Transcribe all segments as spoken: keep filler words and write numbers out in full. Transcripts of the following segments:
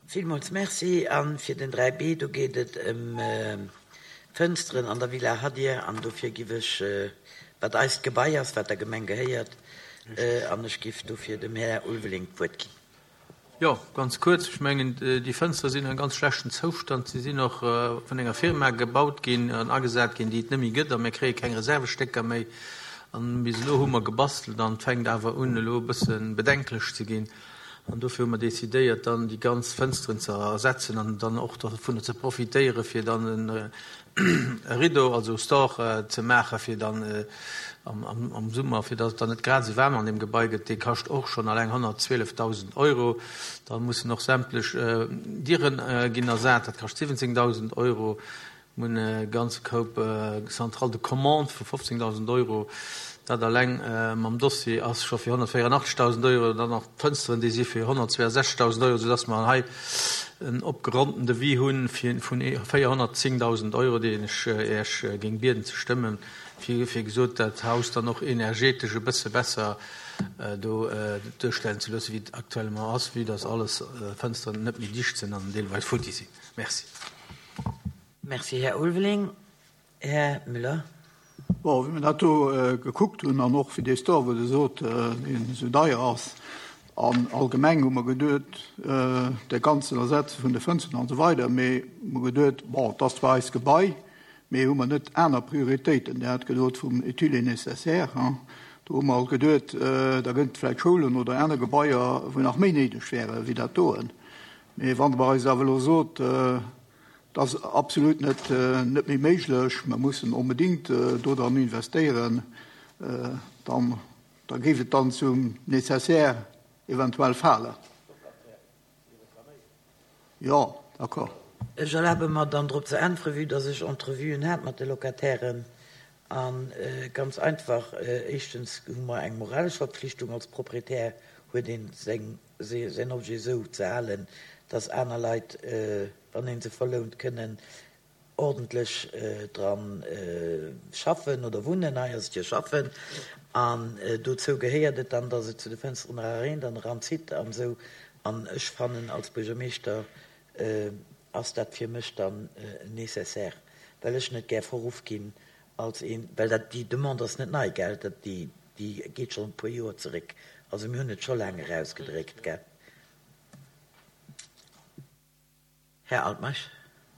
Villmools Merci. A fir den dräi B, do geet et ëm d'Fënsteren an der Villa Hadir an dofir giff ech, wat eist Gebai ass, wat der Gemeng gehéiert, an ech giff dofir dem Här Ulveling d'Wuert ginn. Jo, ganz kuerz. Ech mengen, déi Fënstere sinn an ganz schlechten Zoustand. Si sinn och vun enger Firma gebaut ginn an agesat ginn, déi et net méi gëtt, a mir kréie keng Reservestécker méi. An bis elo hu mer gebastelt an et fänkt awer un elo e bësse bedenklech ze ginn. An dofir hu mer decidéiert, dann déi ganz Fënsteren ze ersetzen an dann och dovunner ze profitéieren, fir dann e Rideau, also e Store ze maachen, fir dann am Summer, fir datt et dann net grad esou waarm an deem Gebai gëtt. Dee kascht och schonn alleng honnertzwielefdausend Euro. Da mussen och sämtlech Dieren ginn ersat, dat kascht siwwenzéngdausend Euro. Mir hunn e ganze Koup Centrale de commande vu fofzéngdausend Euro. Dat alleng mam Dossier ass scho fir honnertvéierandachtzegdausend Euro. Dann nach d'Fënsteren, déi si fir honnertzweeasechzegdausend Euro, soudass mer hei en opgeronnten Devis hu vun véierhonnertzéngdausend Euro, deen ech Iech géing bieden ze stëmmen, fir, wéi gesot, dat Haus dann och energetesch e bësse besser do duerstellen ze loossen, wéi et actuellement ass, vue dass alles Fënsteren net méi dicht sinn an deelweis futti sinn. Merci. Merci, Här Ulveling. Här Müller. Bon, wéi mer dat do gekuckt hunn an och fir dee Store, wou Der sot, deen esou deier ass, an allgemeng hu mer geduet, de ganzen Ersetze vun de Fënsteren an esou weider, mee hu mer geduet, bon, et ass zwar eist Gebai, mee hu mer net aner Prioritéiten? Dir hat gesot vum utile et nécessaire, hein. Do hu mer alt geduet, da gëtt et vläicht Schoulen oder aner Gebaier, wou nach méi néideg wäre wéi dat doen. Mee wann Der eis awer elo sot, Et ass absolut net net méi méiglech, mer mussen onbedéngt do dran investéieren, dann da géif et dann zum Nécessaire eventuell falen. Jo, d'accord. Ech erlabe mer dann drop ze äntweren, vue dass ech Entrevuen hat mat de Locatairen. A ganz einfach, éischtens hu mer eng moralesch Verpflichtung als Proprietär, huet ee seng säin Objet esou ze halen, dass aner Leit, wann ee se verlount, kënnen ordentlech dra schaffen oder wunnen. Hei ass et jo schaffen. An dozou gehéiert et dann, dass et zu de Fënsteren era reent an eranzitt an esou. An ech fannen, als Buergermeeschter ass dat fir mech dann nécessaire, well ech net gär verruff ginn als een, well dat, déi Demande ass net nei, gell, dat, déi, déi geet schonn e puer Joer zeréck. Also mir hunn et scho laang erausgedréckt, gell. Här Altmeisch.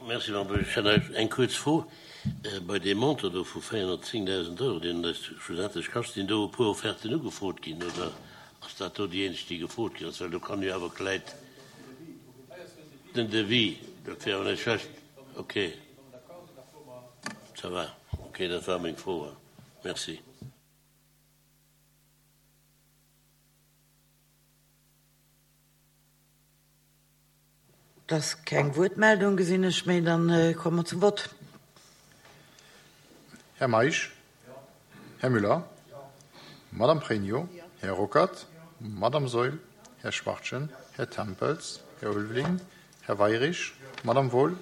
Merci, Madame Buergermeeschtesch. Ech hätt eng kuerz Fro. Bei deem Montant do vu véierhonnertzéngdausend Euro, deen et eis schlussendlech kascht, sinn do e puer Offerten ugefrot ginn oder ass dat do déi eenzeg, déi gefrot ginn ass? Well do kann jo awer vläit den Devis, dat wär awer net schlecht. Okay, ça va. Okay, dat war meng Fro. Merci. Et ass keng Wuertmeldung, gesinn ech, méi. Dann komme mer zum Vott. Här Meisch? Här Müller? Madame Pregno? Här Ruckert? Madame Saeul? Här Schwachtgen? Här Tempels? Här Ulveling? Här Weirich? Madame Wohl?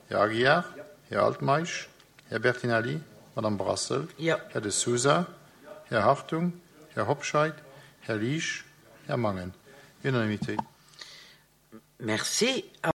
Här Aguiar? Här Altmeisch? Här Bertinelli? Madame Brassel? Här De Sousa? Här Hartung? Här Hobscheit? Här Liesch? Här Mangen? Unanimité. Merci.